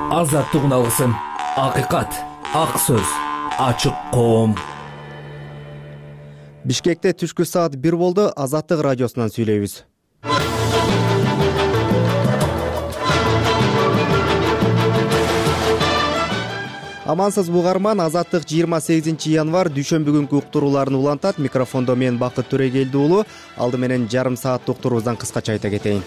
азаттыгын алгысың. Акыйкат, ак сөз, ачык коом. Бишкекте түшкү саат 1 болду. Азаттык радиосунан сүйлөйбүз. Амансыз угарман, Азаттык 28 январь дүйшөмбү күнкү уктурууларын улантат. Микрофондо мен Бакыт Төрегелди уулу. Алды менен жарым саат уктуруубуздан кыскача айта кетейин.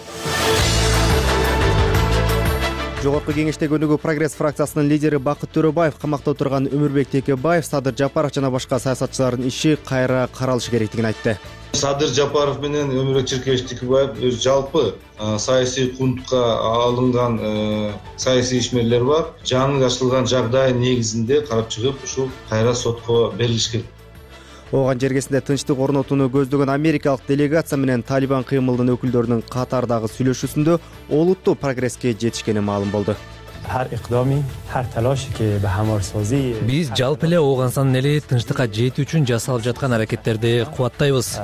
Жогорку кеңештеги өнүгүү прогресс фракциясынын лидери Бакыт Төрөбаев, камакта отурган Өмүрбек Текебаев, Садыр Жапаров жана башка саясатчылардын иши кайра каралышы керектигин айтты. Садыр Жапаров менен Өмүрбек Текебаев жалпы саясий кунтка алынган саясий ишмерлер бар. Жаңы ачылган жагдай негизинде карап чыгып, ушул кайра сотко берилиш керек. Оған жергесинде тынчтык орнотууну көздөгөн америкалык делегация менен Талибан кыймылдын өкүлдөрүнүн катардагы сүйлөшүүсүндө олуттуу прогресске жетишкени маалым болду. Биз жалпы эле оогансан эле тынчтыкка жетүү үчүн жасалып жаткан аракеттерди кубаттайбыз.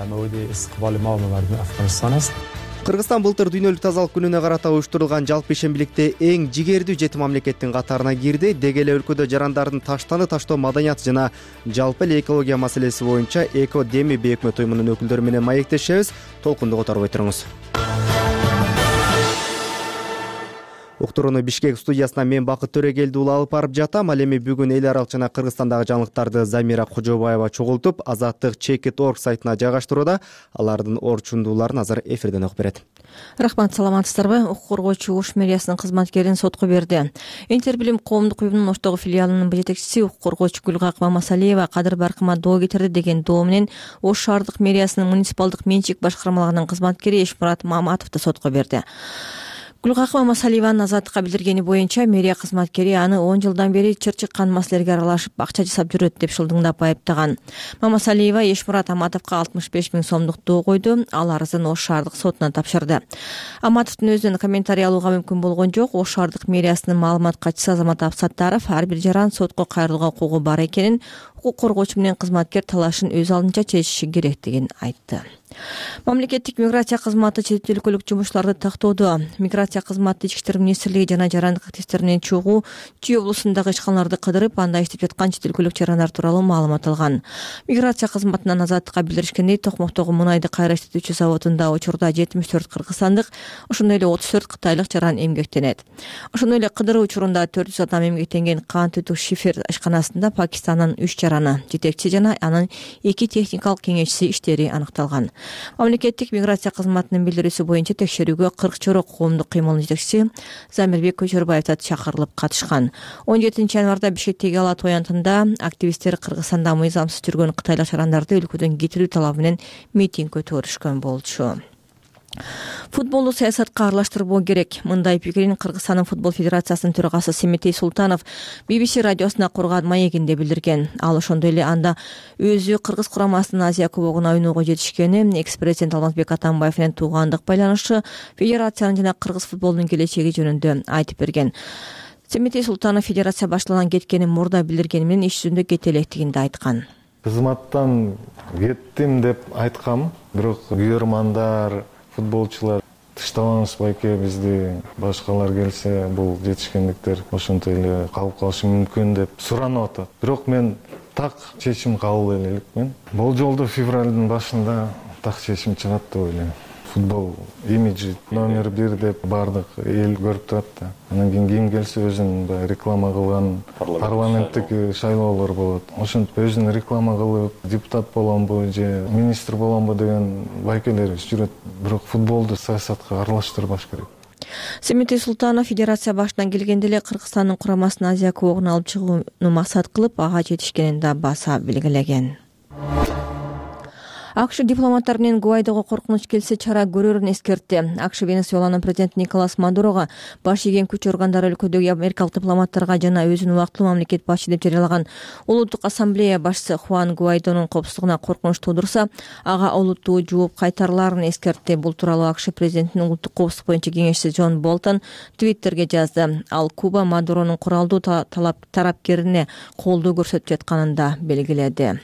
Кыргызстан былтыр дүйнөлүк тазалык күнүнө карата уюштурулган жалпы ишембиликте эң жигердүү 7 мамлекеттин катарына кирди. Деги эле өлкөдө жарандардын таштаны таштоо маданияты жана жалпы эле экология маселеси боюнча Эко Деми бейөкмөт уюмунун өкүлдөрү менен маектешебиз. Толкунду которбой туруңуз. Уктурууну Бишкек студиясына мен Бакыт Төрегелди уулу алып барып жатам. Ал эми бүгүн эл аралык жана Кыргызстандагы жаңылыктарды Замира Кожобаева чогултуп, Азаттык.org сайтына жайгаштырууда. Алардын орчундууларын азыр эфирден окуп берет. Рахмат, саламатсыздарбы? Укук коргоочу Ош мэриясынын кызматкерин сотко берди. Интербилим коомдук уюмунун Оштогу филиалынын жетекчиси укук коргоочу Гүлгакып Мамасалиева кадыр баркыма доо кетирди деген доо менен Ош шаардык мэриясынын муниципалдык менчик башкармалыгынын кызматкери Эшмурат Маматовду сотко берди. Гүлгакып Мамасалиеванын Азаттыкка билдиргени боюнча, мэрия кызматкери аны 10 жылдан бери чыр чыккан маселелерге аралашып, акча жасап жүрөт деп шылдыңдап айыптаган. Мамасалиева Эшмурат Аматовго 65 000 сомдук доо койду. Ал арызын Ош шаардык сотуна тапшырды. Аматовдун өзүнөн комментарий алууга мүмкүн болгон жок. Ош шаардык мэриясынын маалымат катчысы Азамат Абсаттаров ар бир жаран сотко кайрылууга укугу бар экенин, укук коргоочу менен кызматкер талашын өз алдынча чечиши керектигин айтты. Мамлекеттик миграция кызматы чет өлкөлүк жумушчуларды тактоодо. Миграция кызматы Ички иштер министрлиги жана жарандык активисттеринен чогуу Чүй облусундагы ишканаларды кыдырып, анда иштеп жаткан чет өлкөлүк жарандар тууралуу маалымат алган. Миграция кызматынан Азаттыкка билдиришкендей, Токмоктогу мунайды кайра иштетүүчү заводунда учурда 74 кыргызстандык, ошондой эле 34 кытайлык жаран эмгектенет. Ошондой эле кыдыруу учурунда 400 адам эмгектенген Кант Үтүк Шифер ишканасында Пакистандын 3 жараны, жетекчи жана анын 2 техникалык кеңешчиси иштери аныкталган. Мамлекеттик миграция кызматынын билдирүүсү боюнча текшерүүгө 40 чорок коомдук кыймылдын жетекчиси Замирбек Көчөрбаев чакырылып катышкан. 17 январда Бишкектеги Ала Тоянтында активисттер Кыргызстанда мыйзамсыз жүргөн кытайлык жарандарды өлкөдөн кетирүү талабы менен митинг өткөрүшкөн болчу. Футболду саясатка аралаштырбоо керек. Мындай пикирин Кыргызстандын футбол федерациясынын төрагасы Семетей Султанов BBC радиосуна курган маегинде билдирген. Ал ошондой эле анда өзү Кыргыз курамасынын Азия кубогуна ойноого жетишкени, экс-президент Алмазбек Атамбаев менен туугандык байланышы, федерациянын жана кыргыз футболунун келечеги жөнүндө айтып берген. Семетей Султанов федерация башталган кеткени мурда билдиргени менен иш жүзүндө кете электигинди айткан. Кызматтан кеттим деп айткам, бирок күйөрмандар, футболчулар тыштабаңыз байке, бизди башкалар келсе бул жетишкендиктер ошонтип эле калып калышы мүмкүн деп суранып атат. Бирок мен так чечим кабыл элекмин. Болжолдуу февралдын башында так чечим чыгат деп ойлойм. Футбол имиджи номер 1 деп бардык эл көрүп турат да. Анан кийин келсе өзүнүн реклама кылган парламенттик шайлоолор болот. Ошентип өзүн реклама кылып, депутат боламбы же министр боламбы деген байкелерибиз жүрөт. Бирок футболду саясатка аралаштырбаш керек. Семетей Султанов федерация башынан келгенде эле Кыргызстандын курамасын Азия кубогуна алып чыгууну максат кылып, ага жетишкенин да баса белгилеген. АКШ дипломаттар менен Гуайдого коркунуч келсе чара көрөрүн эскертти. АКШ Венесуэланын президенти Николас Мадурого баш ийген күч органдары өлкөдөгү америкалык дипломаттарга жана өзүн убактылуу мамлекет башчы деп жарыялаган Улуттук ассамблея башчысы Хуан Гуайдонун коопсуздугуна коркунуч туудурса, ага олуттуу жооп кайтарыларын эскертти. Бул тууралуу АКШ президентинин улуттук коопсуздук боюнча кеңешчиси Джон Болтон Твиттерге жазды. Ал Куба Мадуронун куралдуу тарапкерине колдоо көрсөтүп жатканын да белгиледи.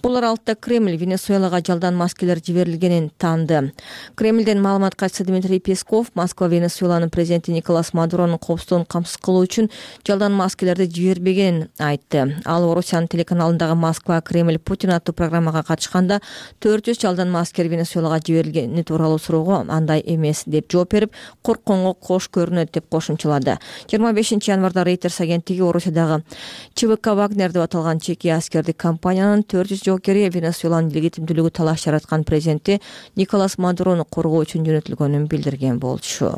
Бул аралыкта Кремль Венесуэлага жалдан маскелер жиберилгенин таанды. Кремлден маалымат катчысы Дмитрий Песков Москва Венесуэланын президенти Николас Мадуронун коопсуздугун камсыз кылуу үчүн жалдан маскелерди жибербегенин айтты. Ал Орусиянын телеканалындагы Москва Кремль Путин аттуу программага катышканда 400 жалдан маскер Венесуэлага жиберилгени тууралуу суроого андай эмес деп жооп берип, коркконго кош көрүнөт деп кошумчалады. 25 январда Reuters агенттиги Орусиядагы ЧВК Вагнер деп аталган чеки аскердик компаниянын 400 жоокери Венесуэланын легитимдүүлүгү талаш жараткан президенти Николас Мадурону коргоо үчүн жөнөтүлгөнүн билдирген болчу.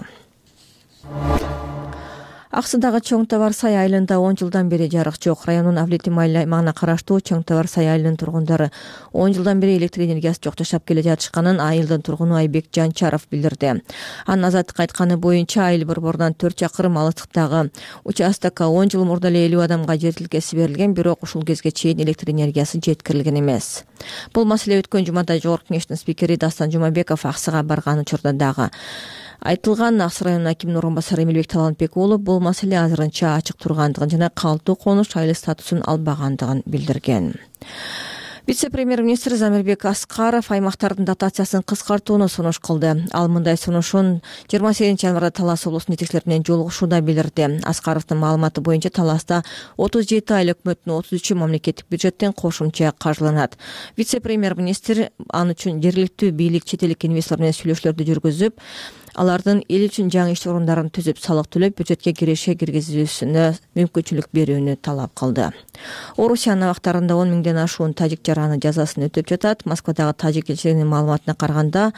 Аксыдагы Чоң Табар Сай айылында 10 жылдан бери жарык жок. Райондун Авлетим аймагына караштуу Чоң Табар Сай айылынын тургундары 10 жылдан бери электр энергиясы жок жашап келе жатышканын айылдын тургуну Айбек Жанчаров билдирди. Анын азаттыкка айтканы боюнча айыл борборунан 4 чакырым алыстыктагы участокко 10 жыл мурда эле 50 адамга жер тилкеси берилген, бирок ушул кезге чейин электр энергиясы жеткирилген эмес. Бул маселе өткөн жумада Жогорку Кеңештин спикери Дастан Жумабеков Аксыга барган учурда дагы айтылган. Аксы районунун акиминин орун басары Эмилбек Талантбек уулу бул маселе азырынча ачык тургандыгын жана калктуу конуш айыл статусун албагандыгын билдирген. Вице-премьер-министр Замирбек Аскаров аймактардын дотациясын кыскартууну сунуш кылды. Ал мындай сунушун 28 январда Талас облусунун жетекчилери менен жолугушууда билдирди. Аскаровдун маалыматы боюнча Таласта 37 айыл өкмөттүн 33 мамлекеттик бюджеттен кошумча каржыланат. Вице-премьер-министр ан үчүн жергиликтүү бийлик чет элдик инвесторлор менен сүйлөшүүлөрдү жүргүзүп, алардын эл үчүн жаңы иш орундарын түзүп, салык төлөп, бюджетке киреше киргизүүсүнө мүмкүнчүлүк берүүнү талап кылды. Орусиянын абактарында 10 миңден ашуун тажик жараны жазасын өтөп жатат. Москвадагы тажик элчилигинин маалыматына караганда,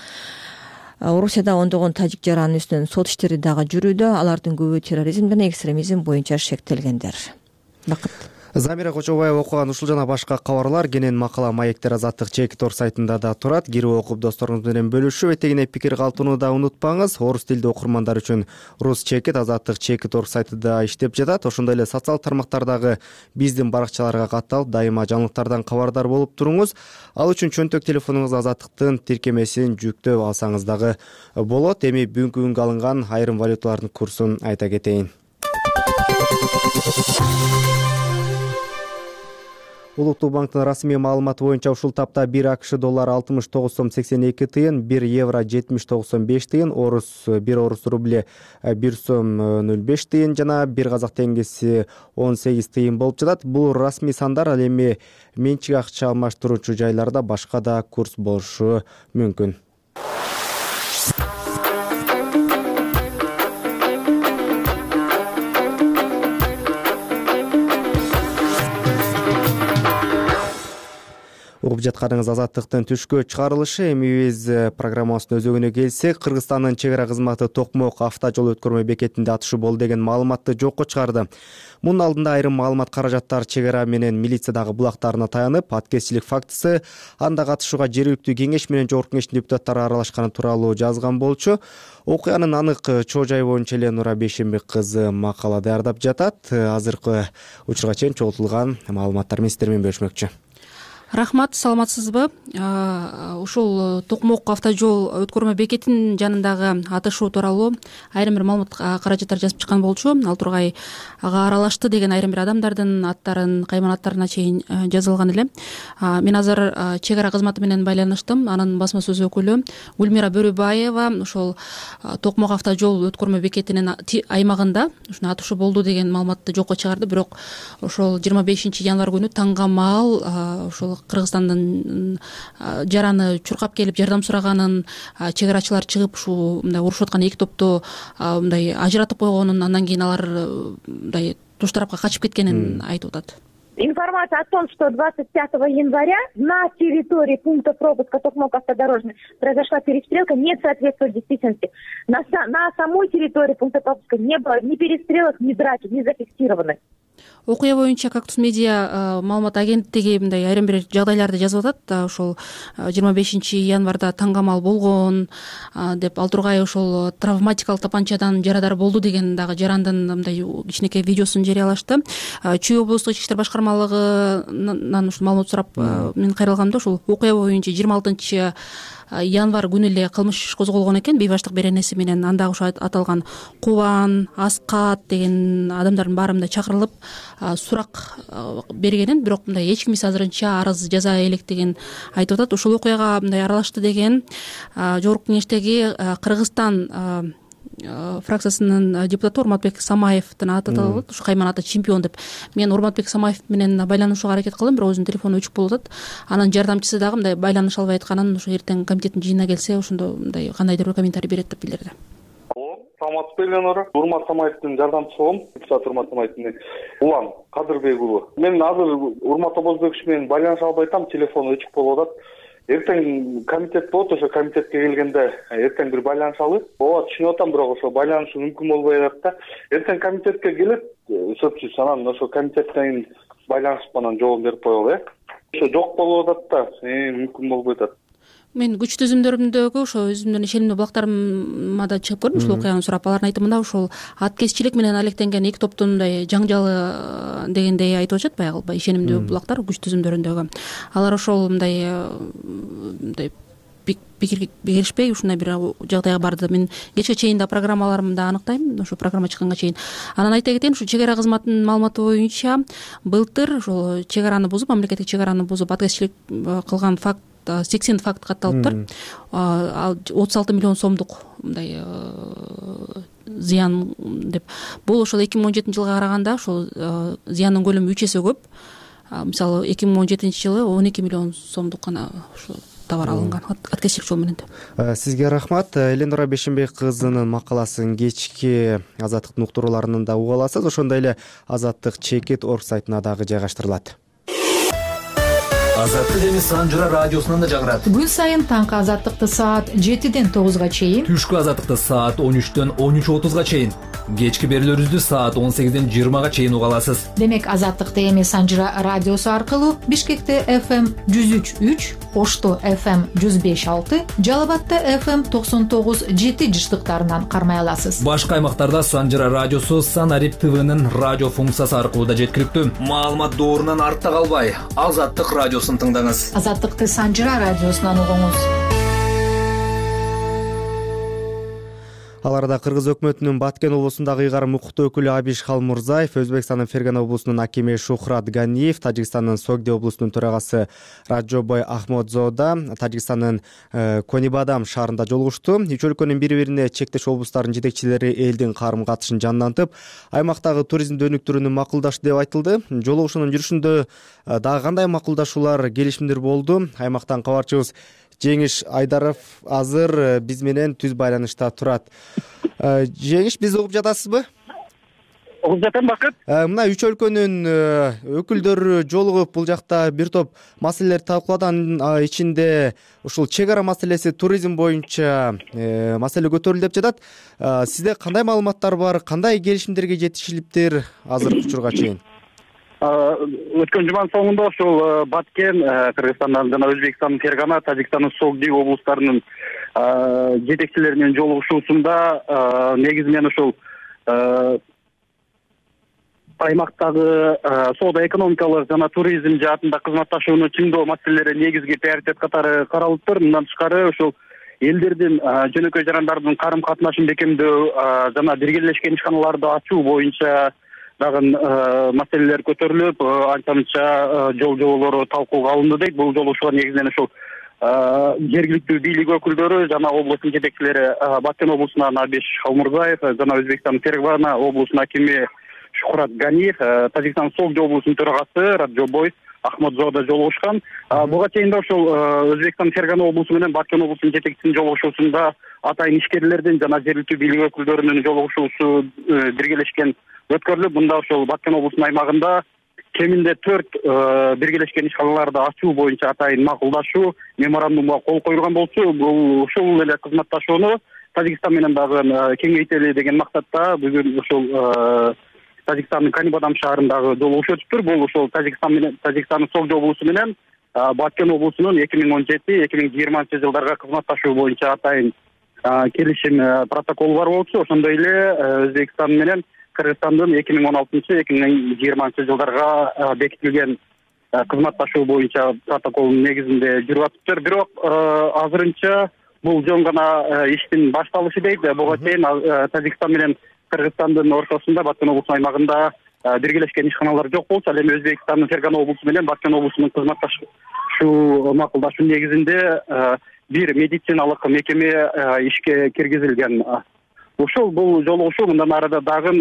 Орусияда ондогон тажик жаранын үстүнөн сот иштери дагы жүрүүдө. Алардын көбү терроризм жана экстремизм боюнча шектелгендер. Бакыт. Замира Кочобаева окуган ушул жана башка кабарлар кенен макала Маектер Азаттык Чекитор сайтында да турат. Кирип окуп досторуңуз менен бөлүшүп, этегине пикир калтырууну да унутпаңыз. Орус тилдүү окурмандар үчүн Рус Чекит Азаттык Чекитор сайтында иштеп жатат. Ошондой эле социал тармактардагы биздин баракчаларга катталып, дайыма жаңылыктардан кабардар болуп туруңуз. Ал үчүн чөнтөк телефонуңузга Азаттыктын тиркемесин жүктөп алсаңыз дагы болот. Эми бүгүнкү күнгө алынган айрым валюталардын курсун айта кетейин. Улуттук банктын расмий маалыматы боюнча ушул тапта 1 АКШ доллары 69 сом 82 тыйын, 1 евро 70,95 тыйын, 1 орус рубли 1 сом 05 тыйын жана 1 казак теңгеси 18 тыйын болуп жатат. Бул расмий сандар, ал эми менчик акча алмаштыруучу жайларда башка да курс болушу мүмкүн. Угуп жатканыңыз Азаттыктын түшкө чыгарылышы. Эми биз программабыздын өзөгүнө келсек, Кыргызстандын чек ара кызматы Токмок автожол өткөрмө бекетинде атышы болду деген маалыматты жокко чыгарды. Мунун алдында айрым маалымат каражаттар чек ара менен милициядагы булактарына таянып, аткезчилик фактысы, анда катышууга жергиликтүү кеңеш менен Жогорку Кеңештин депутаттары аралашканы тууралуу жазган болчу. Окуянын анык чоо жайы боюнча эле Нура Бейшембек кызы макала даярдап жатат. Азыркы учурга чейин чогултулган маалыматтар менен сиздер менен бөлүшмөкчү. Рахмат, саламатсызбы? Ушул Токмок автожол өткөрмө бекетинин жанындагы атышуу тууралуу айрым бир маалымат каражаттар жазып чыккан болчу. Ал тургай ага аралашты деген айрым бир адамдардын аттарын, кайман аттарына чейин жазылган эле. Мен азыр чек ара кызматы менен байланыштым. Анын басма сөз өкүлү Гүлмира Бөрүбаева ушул Токмок автожол өткөрмө бекетинин аймагында ушуна атышуу болду деген маалыматты жокко чыгарды. Бирок ошол 25 январь күнү таңга маал ушул Кыргызстандын жараны чуркап келип жардам сураганын, чек арачылар чыгып ушул мындай урушуп аткан эки топту мындай ажыратып койгонун, андан кийин алар мындай туш тарапка качып кеткенин айтып атат. Информация о том, что 25 января на территории пункта пропуска Токмок автодорожный произошла перестрелка, не соответствует действительности. На самой территории пункта пропуска не было ни перестрелок, ни драки, не зафиксированы. Окуя боюнча Кактус медиа маалымат агенттиги мындай айрым бир жагдайларды жазып атат. Ошол 25 январда таңгамал болгон деп, ал тургай ошол травматикалык тапанчадан жарадар болду деген дагы жарандын мындай кичинекей видеосун жарыялашты. Чүй облустук ички иштер башкармалыгынан ушул маалымат сурап мен кайрылгамда ошол окуя боюнча 26 январь күнү эле кылмыш иш козголгон экен бейбаштык беренеси менен. Анда ошо аталган Кубан, Аскат деген адамдардын баары мындай чакырылып сурак бергенин, бирок мындай эч ким азырынча арыз жаза элек деген айтып атат. Ушул окуяга мындай аралашты деген жогорку кеңештеги Кыргызстан фракциясынын депутаты Урматбек Самаевдин аты аталат. Ушу Кайман ата чемпион деп. Мен Урматбек Самаев менен байланышууга аракет кылдым, бирок өзүнүн телефону өчүк болуп атат. Анын жардамчысы дагы мындай байланыша албай атканын, ошо эртең комитеттин жыйынына келсе ошондо мындай кандайдыр бир комментарий берет деп билдирди. Саламатсызбы, Эленора? Урмат Самаевдин жардамчысы болом. Депутат Урмат Самаевдин улан Кадырбек уулу. Мен азыр Урмат Обозбекович менен байланыша албай атам, телефону өчүк болуп атат. Эртең комитет болот, ошо комитетке келгенде эртең бир байланышалы. Ооба, түшүнүп атам, бирок ошо байланышуу мүмкүн болбой атат да. Эртең комитетке келет, сөзсүз анан ошо комитеттен байланышып анан жооп берип коелу, Ошо жок болуп атат да, мүмкүн болбой атат. Мен күч түзүмдөрүмдөгү ошо өзүмдүн ишенимдүү булактарыма да чыгып көрдүм, ушул окуяны сурап. Алардын айтымында ушул аткезчилик менен алектенген эки топтун мындай жаңжалы дегендей айтып атышат, баягы ишенимдүү булактар күч түзүмдөрүндөгү. Алар ошол мындай пикирге беришпей ушундай бир жагдайга барды. Мен кечке чейин да программаларымды аныктайм, ошо программа чыкканга чейин. Анан айта кетейин, ушу чек ара кызматынын маалыматы боюнча былтыр ошол чек араны бузуп, мамлекеттик чек араны бузуп аткезчилик кылган факт 80 факт катталыптыр. 36 миллион сомдук мындай зыян деп. Бул ошол 2017 жылга караганда ошол зыяндын көлөмү 3 эсе көп. Мисалы 2017 жылы 12 миллион сомдук гана ошо товар алынган аткезчилик жол менен. Сизге рахмат. Эленора Бейшенбек кызынын макаласын кечки Азаттыктын уктурууларынан да уга аласыз. Ошондой эле Азаттык чекит орг сайтына дагы жайгаштырылат. Азаттык эми Санжыра радиосунан да жагырат. Күн сайын таңкы Азаттыкты саат 7ден 9га чейин, түшкү Азаттыкты саат 13дөн 13:30га чейин, кечки берүүлөрүбүздү саат 18ден 20га чейин уга аласыз. Демек Азаттыкты эми Санжыра радиосу аркылуу Бишкекте FM 103.3, Ошто FM 105.6, Жалал Абадта FM 99.7 жыштыктарынан кармай аласыз. Башка аймактарда Санжыра радиосу Санарип ТВнын радио функциясы аркылуу да жеткиликтүү. Маалымат доорунан артта калбай, Азаттык радиосун тыңдаңыз. Азаттыкты Санжыра радиосунан угуңуз. Аларда Кыргыз өкмөтүнүн Баткен облусундагы ыйгарым укуктуу өкүлү Абиш Халмурзаев, Өзбекстандын Фергана облусунун акими Шухрат Ганиев, Тажикстандын Согди облусунун төрагасы Раджобой Ахмодзода, Тажикстандын Конибадам шаарында жолугушту. Үч өлкөнүн бири-бирине чектеш облустарынын жетекчилери элдин карым-катышын жандантып, аймактагы туризмди өнүктүрүүнү макулдашты деп айтылды. Жолугушуунун жүрүшүндө дагы кандай макулдашуулар, келишимдер болду? Аймактан кабарчыбыз Жеңиш Айдаров азыр биз менен түз байланышта турат. Жеңиш, бизди угуп жатасызбы? Угуп жатам, Бакыт. Мына үч өлкөнүн өкүлдөрү жолугуп бул жакта бир топ маселелерди талкуулады. Анын ичинде ушул чек ара маселеси, туризм боюнча маселе көтөрүлдү деп жатат. Сизде кандай маалыматтар бар? Кандай келишимдерге жетишилиптир азыркы учурга чейин? Өткөн жуманын соңунда ошол Баткен, Кыргызстандын жана Өзбекстандын Фергана, Тажикстандын Согди облустарынын жетекчилери менен жолугушуусунда негизи менен ошол аймактагы соода-экономикалык жана туризм жаатында кызматташууну чыңдоо маселелери негизги приоритет катары каралыптыр. Мындан тышкары ошол элдердин жөнөкөй жарандардын карым-катнашын бекемдөө жана биргелешкен ишканаларды ачуу боюнча дагы маселелер көтөрүлүп, анча-мынча жол жоболору талкууга алынды дейт. Бул жолугушууга негизинен ошол жергиликтүү бийлик өкүлдөрү жана облустун жетекчилери Баткен облусунан Абиш Халмурзаев жана Өзбекстандын Фергана облусунун акими Шухрат Ганиев, Тажикстандын Согди облусунун төрагасы Раджобой Ахмодзода жолугушкан. Буга чейин да ошол Өзбекстандын Фергана облусу менен Баткен облусунун жетекчисинин жолугушуусунда атайын ишкерлердин жана жергиликтүү бийлик өкүлдөрүнүн жолугушуусу биргелешкен өткөрүлүп, мында ошол Баткен облусунун аймагында кеминде 4 биргелешкен ишканаларды ачуу боюнча атайын макулдашуу меморандумга кол коюлган болчу. Бул ушул эле кызматташууну Тажикстан менен дагы кеңейтели деген максатта бүгүн ошол Тажикстандын Конибадам шаарындагы жолугушуу өтүптүр. Бул ошол Тажикстандын Согди облусу менен Баткен облусунун 2017-2020 жылдарга кызматташуу боюнча атайын келишим протоколу бар болчу. Ошондой эле Өзбекстан менен Кыргызстандын 2016-2020 жылдарга бекитилген кызматташуу боюнча протоколдун негизинде жүрүп атыптыр. Бирок азырынча бул жөн гана иштин башталышы дейт. Буга чейин Тажикстан менен Кыргызстандын ортосунда Баткен облусунун аймагында биргелешкен ишканалар жок болчу. Ал эми Өзбекстандын Фергана облусу менен Баткен облусунун кызматташуу макулдашуу негизинде бир медициналык мекеме ишке киргизилген. Бул жолугушуу мындан арада дагы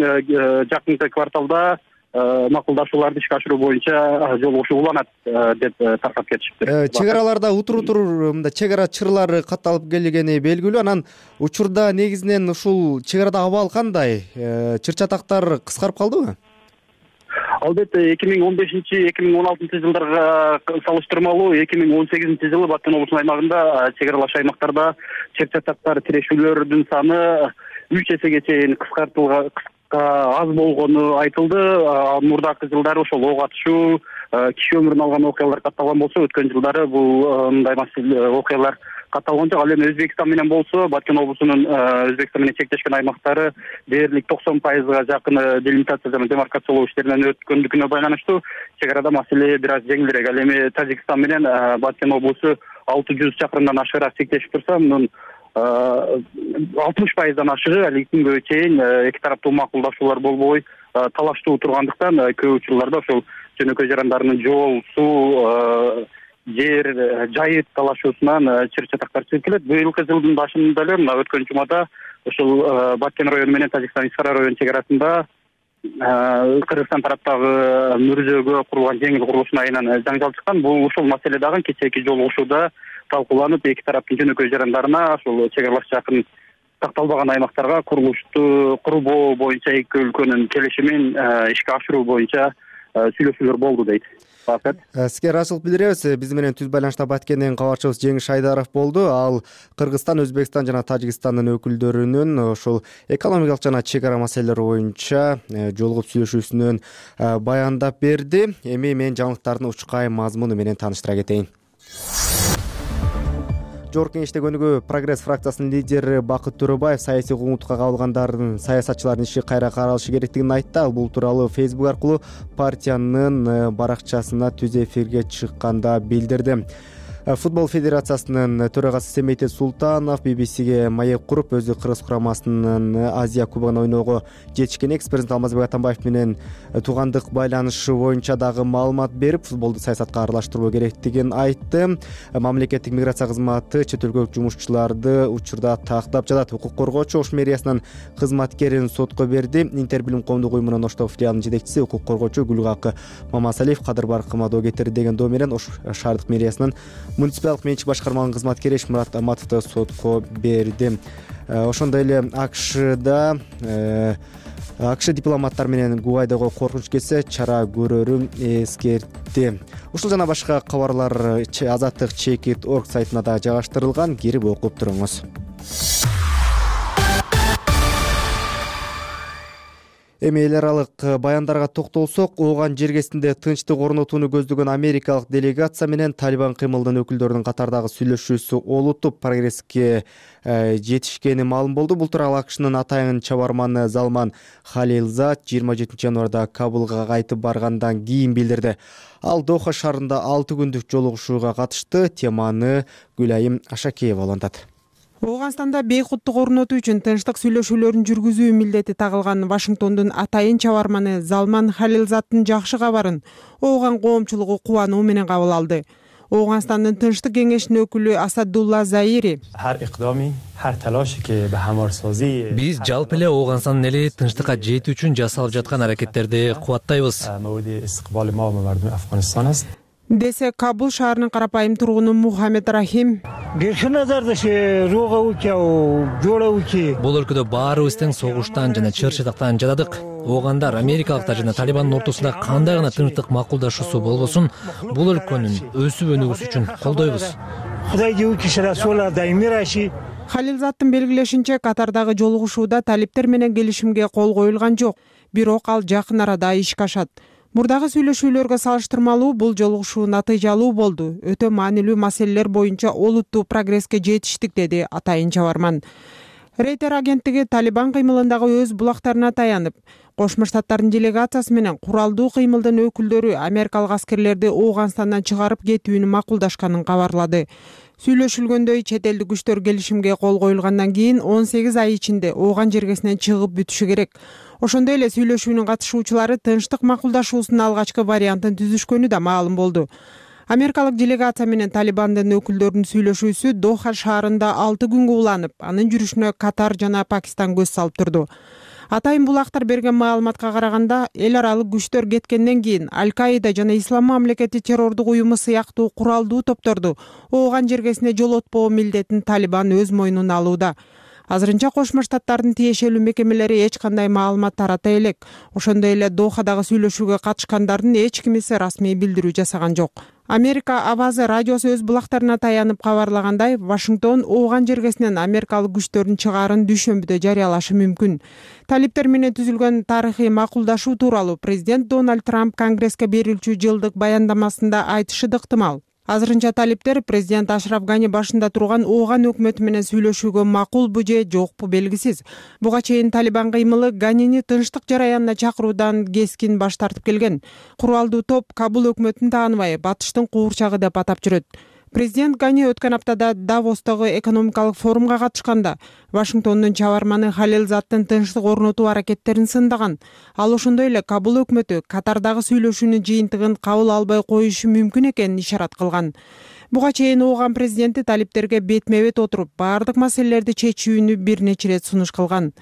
жакынкы кварталда макулдашууларды ишке ашыруу боюнча жолугушуу уланат деп таркап кетишиптир. Чек араларда утур мындай чек ара чырлары катталып келгени белгилүү. Анан учурда негизинен ушул чек арада абал кандай? Чыр чатактар кыскарып калдыбы? Албетте 2015-2016 жылдарга салыштырмалуу 2018 жылы Баткен облусунун аймагында чек аралаш аймактарда чыр чатактар тирешүүлөрдүн саны 3 эсеге чейин аз болгону айтылды. Мурдакы жылдары ошол ок атышуу, киши өмүрүн алган окуялар катталган болсо, өткөн жылдары бул мындай окуялар катталган жок. Ал эми Өзбекстан менен болсо, Баткен облусунун Өзбекстан менен чектешкен аймактары дээрлик 90%га жакын делимитация жана демаркациялоо иштеринен өткөндүкүнө байланыштуу чек арада маселе бир аз жеңилирээк. Ал эми Тажикстан менен Баткен облусу 600 чакырымдан ашыгыраак чектешип турса, мунун 60%дан ашыгы али күнгө чейин эки тараптуу макулдашуулар болбой талаштуу тургандыктан көп учурларда ошол жөнөкөй жарандарынын жол, суу, жер, жайыт талашуусунан чыр чатактар чыгып келет. Быйылкы жылдын башында эле мына өткөн жумада ошол Баткен району менен Тажикстан Искара району чек арасында Кыргызстан тараптагы мүрзөгө курулган жеңил курулуштун айынан жаңжал чыккан. Бул ушул маселе дагы кечээки жолугушууда талкууланып, эки тараптын жөнөкөй жарандарына ошол чек аралаш жакын такталбаган аймактарга курулушту курбоо боюнча эки өлкөнүн келишимин ишке ашыруу боюнча сүйлөшүүлөр болду дейт. Сизге ыраазычылык билдиребиз. Биз менен түз байланышта Баткенден кабарчыбыз Жеңиш Айдаров болду. Ал Кыргызстан, Өзбекстан жана Тажикстандын өкүлдөрүнүн ошол экономикалык жана чек ара маселелери боюнча жолугуп сүйлөшүүсүнөн баяндап берди. Эми мен жаңылыктардын учкай мазмуну менен тааныштыра кетейин. Жогорку Кеңеште көнүгүү Прогресс фракциясынын лидери Бакыт Төрөбаев саясий куугунтукка кабылгандардын саясатчылардын иши кайра каралышы керектигин айтты. Ал бул тууралуу Facebook аркылуу партиянын баракчасына түз эфирге чыкканда билдирди. Футбол федерациясынын төрагасы Семейте Султанов BBCге маек куруп, өзү Кыргыз курамасынын Азия кубогуна ойноого жетишкен экс-президент Алмазбек Атамбаев менен туугандык байланышы боюнча дагы маалымат берип, футболду саясатка аралаштырбоо керектигин айтты. Мамлекеттик миграция кызматы чет өлкөлүк жумушчуларды учурда тактап жатат. Укук коргоочу Ош мэриясынын кызматкерин сотко берди. Интербилим коомдук уюмунун Оштогу филиалынын жетекчиси укук коргоочу Гүлгакы Мамасалиев кадыр баркыма доо кетирди деген доо менен Ош шаардык мэриясынын муниципалдык менчик башкарманын кызматкери Эшмурат Аматовду сотко берди. Ошондой эле АКШ дипломаттар менен Гуайдого коркунуч кетсе чара көрөрүн эскертти. Ушул жана башка кабарлар Азаттык Чекит.org сайтына да жайгаштырылган. Кирип окуп туруңуз. Эми эл аралык баяндарга токтолсок, ооган жергесинде тынчтык орнотууну көздөгөн америкалык делегация менен Талибан кыймылынын өкүлдөрүнүн катардагы сүйлөшүүсү олуттуп прогресске жетишкени маалым болду. Бул тууралуу АКШнын атайын чабарманы Залман Халилзад 27 январда Кабулга кайтып баргандан кийин билдирди. Ал Доха шаарында 6 күндүк жолугушууга катышты. Теманы Гүлайым Ашакеева улантат. Ооганстанда бейкуттук орнотуу үчүн тынчтык сүйлөшүүлөрүн жүргүзүү милдети тагылган Вашингтондун атайын чабарманы Залман Халилзаддын жакшы кабарын ооган коомчулугу кубануу менен кабыл алды. Ооганстандын тынчтык кеңешинин өкүлү Асадулла Заири биз жалпы эле Ооганстандын эли тынчтыкка жетүү үчүн жасалып жаткан аракеттерди кубаттайбыз десе Кабул шаарынын карапайым тургуну Мухаммед Рахим. Бул өлкөдө баарыбыз тең согуштан жана чыр чатактан жатадык. Оогандар америкалыктар жана Талибандын ортосунда кандай гана тынчтык макулдашуусу болбосун, бул өлкөнүн өсүп өнүгүүсү үчүн колдойбуз. Халилзаддын белгилешинче, Катардагы жолугушууда талиптер менен келишимге кол коюлган жок, бирок ал жакын арада ишке ашат. Мурдагы сүйлөшүүлөргө салыштырмалуу бул жолугушуу натыйжалуу болду. Өтө маанилүү маселелер боюнча олуттуу прогресске жетиштик, деди атайын чабарман. Рейтер агенттиги Талибан кыймылындагы өз булактарына таянып, Кошмо Штаттардын делегациясы менен куралдуу кыймылдын өкүлдөрү америкалык аскерлерди Ооганстандан чыгарып кетүүнү макулдашканын кабарлады. Сүйлөшүлгөндөй, чет элдик күчтөр келишимге кол коюлгандан кийин 18 ай ичинде Ооган жергесинен чыгып бүтүшү керек. Ошондой эле сүйлөшүүнүн катышуучулары тынчтык макулдашуусунун алгачкы вариантын түзүшкөнү да маалым болду. Америкалык делегация менен Талибандын өкүлдөрүнүн сүйлөшүүсү Доха шаарында 6 күнгө уланып, анын жүрүшүнө Катар жана Пакистан көз салып турду. Атайын булактар берген маалыматка караганда, эл аралык күчтөр кеткенден кийин Аль-Каида жана Ислам мамлекети террордук уюму сыяктуу куралдуу топторду Ооган жергесине жолотпоо милдетин Талибан өз мойнуна алууда. Азырынча Кошмо Штаттардын тиешелүү мекемелери эч кандай маалымат тарата элек. Ошондой эле Дохадагы сүйлөшүүгө катышкандардын эч кимиси расмий билдирүү жасаган жок. Америка Авазы радиосу өз булактарына таянып кабарлагандай, Вашингтон Ооган жергесинен америкалык күчтөрдүн чыгаарын дүйшөмбүдө жарыялашы мүмкүн. Талиптер менен түзүлгөн тарыхый макулдашуу тууралуу президент Дональд Трамп Конгресске берилчү жылдык баяндамасында айтышы да ыктымал. Азырынча талиптер президент Ашраф Гани башында турган Ооган өкмөтү менен сүйлөшүүгө макулбу же жокпу белгисиз. Буга чейин Талибан кыймылы Ганини тынчтык жараянына чакыруудан кескин баш тартып келген. Куралдуу топ Кабул өкмөтүн тааныбай, батыштын куурчагы деп атап жүрөт. Президент Гани өткөн аптада Давостогу экономикалык форумга катышканда Вашингтондун чабарманы Халилзаттын тынчтык орнотуу аракеттерин сындаган. Ал ошондой эле Кабул өкмөтү Катардагы сүйлөшүүнүн жыйынтыгын кабыл албай коюшу мүмкүн экенин ишарат кылган. Буга чейин Ооган президенти талиптерге бетме-бет отуруп, баардык маселелерди чечүүнү бир нече ирет сунуш кылган.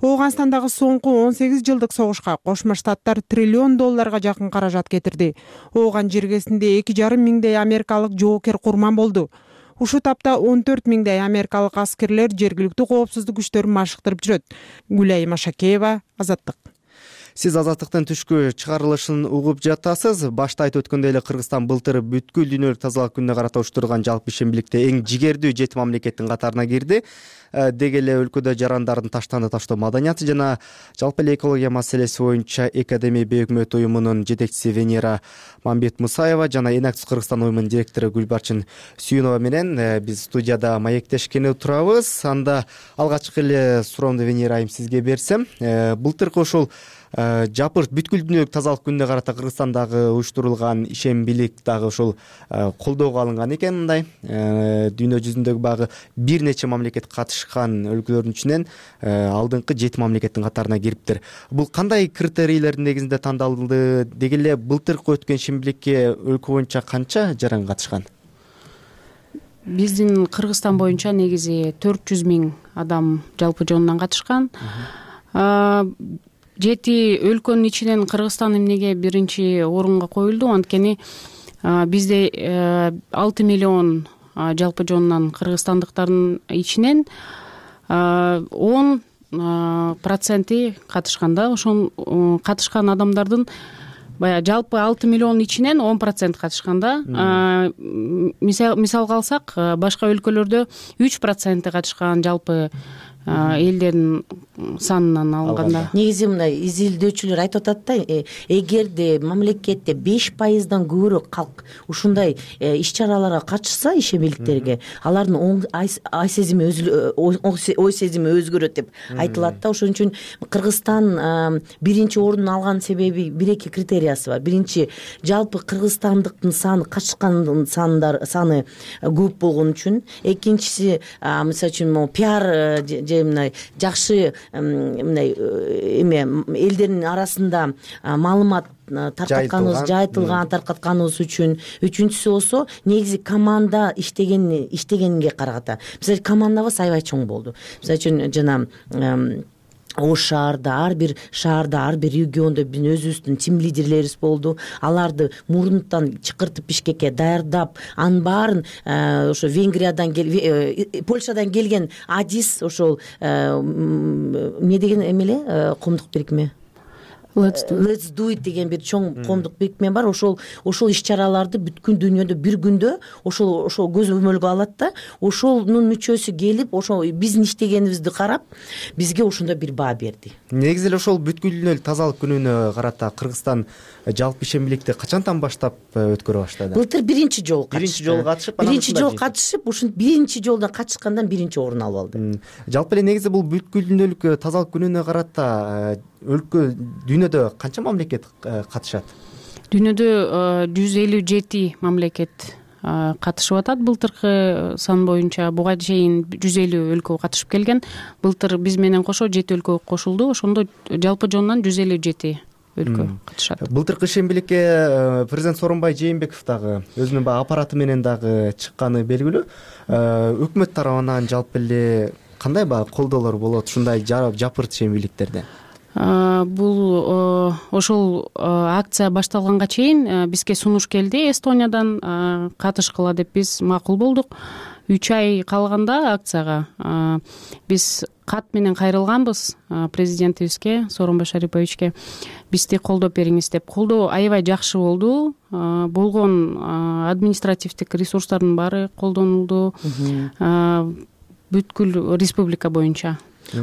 Ооганстандагы соңку 18 жылдык согушка Кошмо Штаттар $1 триллион жакын каражат кетирди. Ооган жергесинде 2,5 миңдей америкалык жоокер курман болду. Ушул тапта 14 миңдей америкалык аскерлер жергиликтүү коопсуздук күчтөрүн машыктырып жүрөт. Гүлай Машакеева, Азаттык. Сиз Азаттыктын түшкү чыгарылышын угуп жатасыз. Башта айтып өткөндөй эле Кыргызстан былтыр бүткүл дүйнөлүк тазалык күнүнө карата уюштурулган жалпы ишембиликте эң жигердүү 7 мамлекеттин катарына кирди. Деги эле өлкөдө жарандардын таштаны таштоо маданияты жана жалпы эле экология маселеси боюнча Экадемия Бейөкмөт уюмунун жетекчиси Венера Мамбет Мусаева жана Эң Акчуу Кыргызстан уюмунун директору Гүлбарчын Сүйүнова менен биз студияда маектешкени турабыз. Анда алгачкы эле суроомду Венера айым сизге берсем, былтыркы ушул жапырт бүткүл дүйнөлүк тазалык күнүнө карата Кыргызстандагы уюштурулган ишембилик дагы ушул колдоого алынган экен. Мындай дүйнө жүзүндөгү багы бир нече мамлекет катышкан өлкөлөрдүн ичинен алдыңкы 7 мамлекеттин катарына кириптир. Бул кандай критерийлердин негизинде тандалды? Деги эле былтыркы өткөн ишембиликке өлкө боюнча канча жаран катышкан? Биздин Кыргызстан боюнча негизи 400 миң адам жалпы жонунан катышкан. 7 өлкөнүн ичинен Кыргызстан эмнеге биринчи орунга коюлду? Анткени бизде 6 миллион жалпы жонунан кыргызстандыктардын ичинен 10% катышкан да. Ошол катышкан адамдардын баягы жалпы 6 миллион ичинен 10% катышкан да. Мисалга алсак, башка өлкөлөрдө 3% катышкан жалпы элдердин санынан алганда. Негизи мындай изилдөөчүлөр айтып атат да, эгерде мамлекетте 5%дан көбүрөөк калк ушундай иш-чараларга катышса, ишембиликтерге, алардын ой сезими өзгөрөт деп айтылат да. Ошон үчүн Кыргызстан биринчи орунду алган себеби бир-эки критериясы бар. Биринчи, жалпы кыргызстандыктын саны, катышкандын саны көп болгон үчүн. Экинчиси, мисалы үчүн пиар мындай жакшы мындай элдердин арасында маалымат таркатканыбыз үчүн. Үчүнчүсү болсо, негизи команда иштегенге караганда. Мисалы, командабыз аябай чоң болду. Мисалы үчүн жана Ош шаарда, ар бир региондо биздин өзүбүздүн тим лидерлерибиз болду. Аларды мурунтан чакыртып Бишкекке даярдап, анын баарын ошо Венгриядан Польшадан келген Адис, ошол эмне деген эмеле, коомдук бирикме, Let's do it деген бир чоң коомдук бирикме бар. Ошол иш чараларды бүткүл дүйнөдө бир күндө ошол көзөмөлгө алат да, ошонун мүчөсү келип, ошол биздин иштегенибизди карап, бизге ошондо бир баа берди. Негизи эле ошол бүткүл дүйнөлүк тазалык күнүнө карата Кыргызстан жалпы ишембиликти качантан баштап өткөрө баштады? Былтыр биринчи жолу катышып, ушинтип биринчи жолдон катышкандан биринчи орун алып алды. Жалпы эле негизи бул бүткүл дүйнөлүк тазалык күнүнө карата өлкө дүйнөдө канча мамлекет катышат? Дүйнөдө 157 мамлекет катышып атат. Былтыркы сан боюнча буга чейин 150 өлкө катышып келген. Былтыр биз менен кошо 7 өлкө кошулду. Ошондо жалпы жонунан 157 өлкө катышат. Былтыркы ишембиликке президент Сооронбай Жээнбеков дагы өзүнүн баягы аппараты менен дагы чыкканы белгилүү. Өкмөт тарабынан жалпы эле кандай баягы колдоолор болот ушундай жапырт ишембиликтерде? Бул ошол акция башталганга чейин бизге сунуш келди Эстониядан, катышкыла деп биз макул болдук. 3 ай калганда акцияга биз кат менен кайрылганбыз президентибизге, Сооронбай Шариповичке. Бизди колдоп бериңиз деп. Колдоо аябай жакшы болду. Болгон административдик ресурстардын баары колдонулду бүткүл республика боюнча.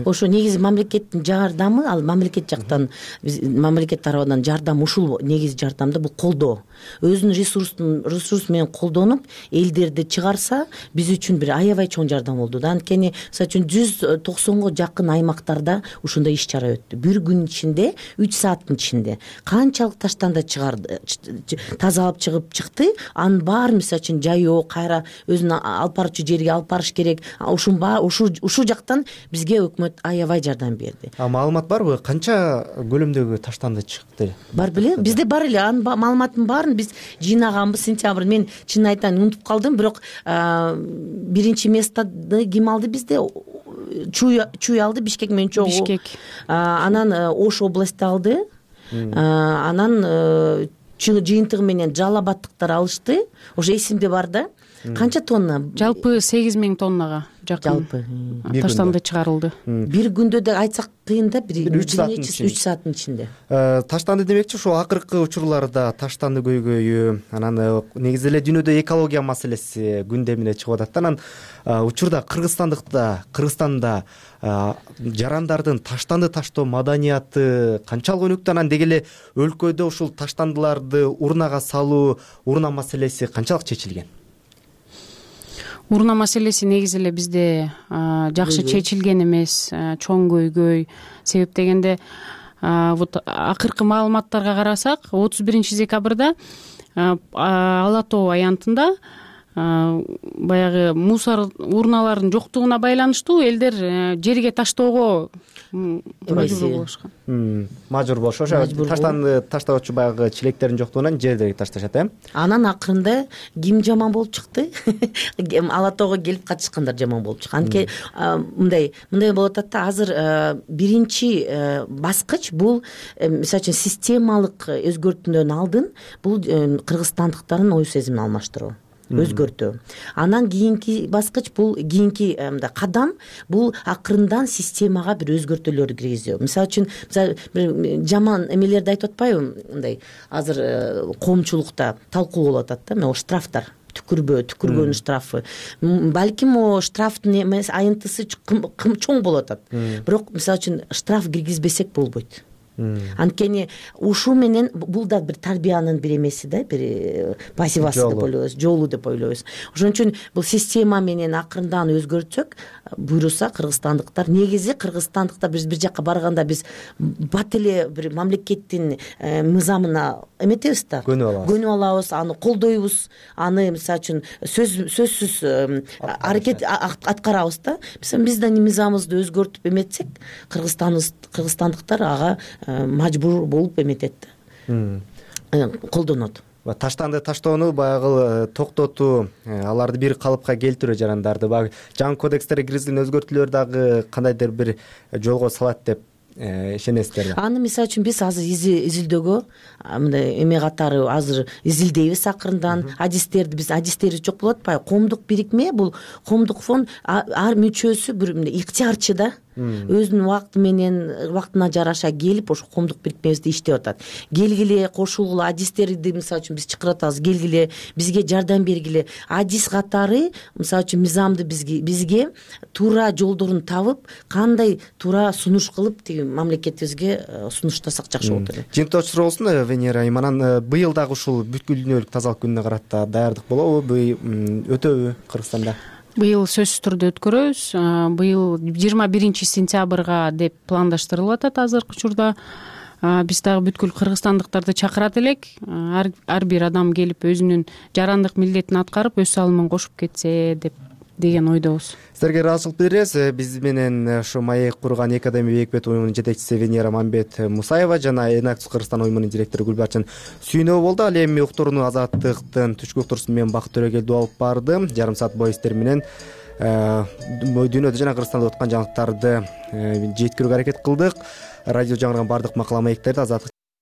Ошо негизи мамлекеттин жардамы, ал мамлекет жактан, мамлекет тарабынан жардам, ушул негизи жардамда бул колдоо. Өзүнүн ресурс менен колдонуп, элдерди чыгарса, биз үчүн бир аябай чоң жардам болду да. Анткени, мисалы үчүн 190го жакын аймактарда ушундай иш чара өттү. Бир күн ичинде, 3 сааттын ичинде канчалык таштанды чыгарды, тазалап чыкты, анын баары мисалы үчүн жайоо, кайра өзүнүн алып барчу жерге алып барыш керек. Ушул жактан бизге өкмөт аябай жардам берди. Маалымат барбы? Канча көлөмдөгү таштанды чыкты? Бар беле? Бизде бар эле. Анын маалыматын баарын биз жыйнаганбыз сентябрь. Мен чын айтайын унутуп калдым, бирок биринчи местоны ким алды бизде? Чуй алды, Бишкек менен чогуу. Бишкек. Анан Ош областы алды. Анан жыйынтыгы менен Жалал Абадтыктар алышты. Ошо эсимде бар да. Канча тонна? Жалпы 8000 тоннага жакын таштанды чыгарылды. Бир күндө да айтсак кыйын да, 3 сааттын ичинде. Таштанды демекчи, ошо акыркы учурларда таштанды көйгөйү, анан негизи эле дүйнөдө экология маселеси күндөмүнө чыгып атат. Анан учурда Кыргызстанда жарандардын таштанды таштоо маданияты канчалык өнүктү? Анан деги эле өлкөдө ушул таштандыларды урнага салуу, урна маселеси канчалык чечилген? Урна маселеси негизи эле бизде жакшы чечилген эмес, чоң көйгөй. Себеп дегенде, вот акыркы маалыматтарга карасак, 31 декабрда Ала тоо аянтында баягы мусор урналарынын жоктугуна байланыштуу элдер жерге таштоого мажбур болушкан. Мажбур болушу, ошо таштанды таштоочу баягы чилектердин жоктугунан жерге ташташат, Анан акырында ким жаман болуп чыкты? Ала тоого келип катышкандар жаман болуп чыккан. Анткени мындай болуп атат да, азыр биринчи баскыч бул, мисалы үчүн, системалык өзгөртүүдөн алдын бул кыргызстандыктардын ой сезимин алмаштыруу, өзгөртүү. Анан кийинки баскыч бул, кийинки кадам бул акырындан системага бир өзгөртүүлөрдү киргизүү. Мисалы үчүн, жаман эмелерди айтып атпайбы? Мындай азыр коомчулукта талкуу болуп атат да, мына штрафтар. Түкүргөн штрафы. Балким штрафтын айынтысы чоң болуп атат. Бирок, мисалы үчүн, штраф киргизбесек болбойт. Анткени ушул менен бул да бир тарбиянын бир эмеси да, бир пассивасы деп ойлойбуз, жолу деп ойлойбуз. Ошон үчүн бул система менен акырындан өзгөртсөк, буйруса кыргызстандыктар, негизи кыргызстандыктар биз бир жакка барганда биз бат эле бир мамлекеттин мыйзамына эметебиз да, көнүп алабыз, аны колдойбуз, аны мисалы үчүн сөзсүз аракет аткарабыз да. Биздин мыйзамыбызды өзгөртүп эметсек, кыргызстандыктар ага мажбур болуп эметет, колдонот. Таштанды таштоону баягы токтотуу, аларды бир калыпка келтирүү жарандарды баягы жаңы кодекстерге киргизилген өзгөртүүлөр дагы кандайдыр бир жолго салат деп ишенесиздерби? Аны мисалы үчүн биз азыр изилдөөгө, мындай эме катары азыр изилдейбиз акырындан. Адистери жок болуп атпайбы? Коомдук бирикме, бул коомдук фонд ар мүчөсү бир ыктыярчы да. өзүнүн убакыты менен убактына жараша келип ошо коомдук бирикмебизде иштеп атат. Келгиле, кошулгула, адистерди мисалы үчүн биз чакырып атабыз, келгиле, бизге жардам бергиле. Адис катары мисалы үчүн мыйзамды бизге туура жолдорун табып, кандай туура сунуш кылып тиги мамлекетибизге сунуштасак жакшы болот эле. Жыйынтыктоочу суроо болсун Венера Айым, анан быйыл дагы ушул бүткүл дүйнөлүк тазалык күнүнө карата даярдык болобу, өтөбү Кыргызстанда? Быйыл сөзсүз түрдө өткөрөбүз. Быйыл 21 сентябрга деп пландаштырылып атат азыркы учурда. Биз дагы бүткүл кыргызстандыктарды чакырат элек. Ар бир адам келип өзүнүн жарандык милдетин аткарып, өз салымын кошуп кетсе деген ойдобуз. Сиздерге ыраазычылык билдиребиз. Биз менен ушу маек курган Эки Академия Бейикбет уюмунун жетекчиси Венера Мамбет Мусаева жана Энакс Кыргызстан уюмунун директору Гүлбарчын Сүйнөө болду. Ал эми уктурууну Азаттыктын түшкү уктуруусун мен Бакыт Төрөгелдиев алып барды. Жарым саат бою сиздер менен дүйнөдө жана Кыргызстанда өткөн жаңылыктарды жеткирүүгө аракет кылдык. Радио жаңырган бардык макала маектерди Азаттык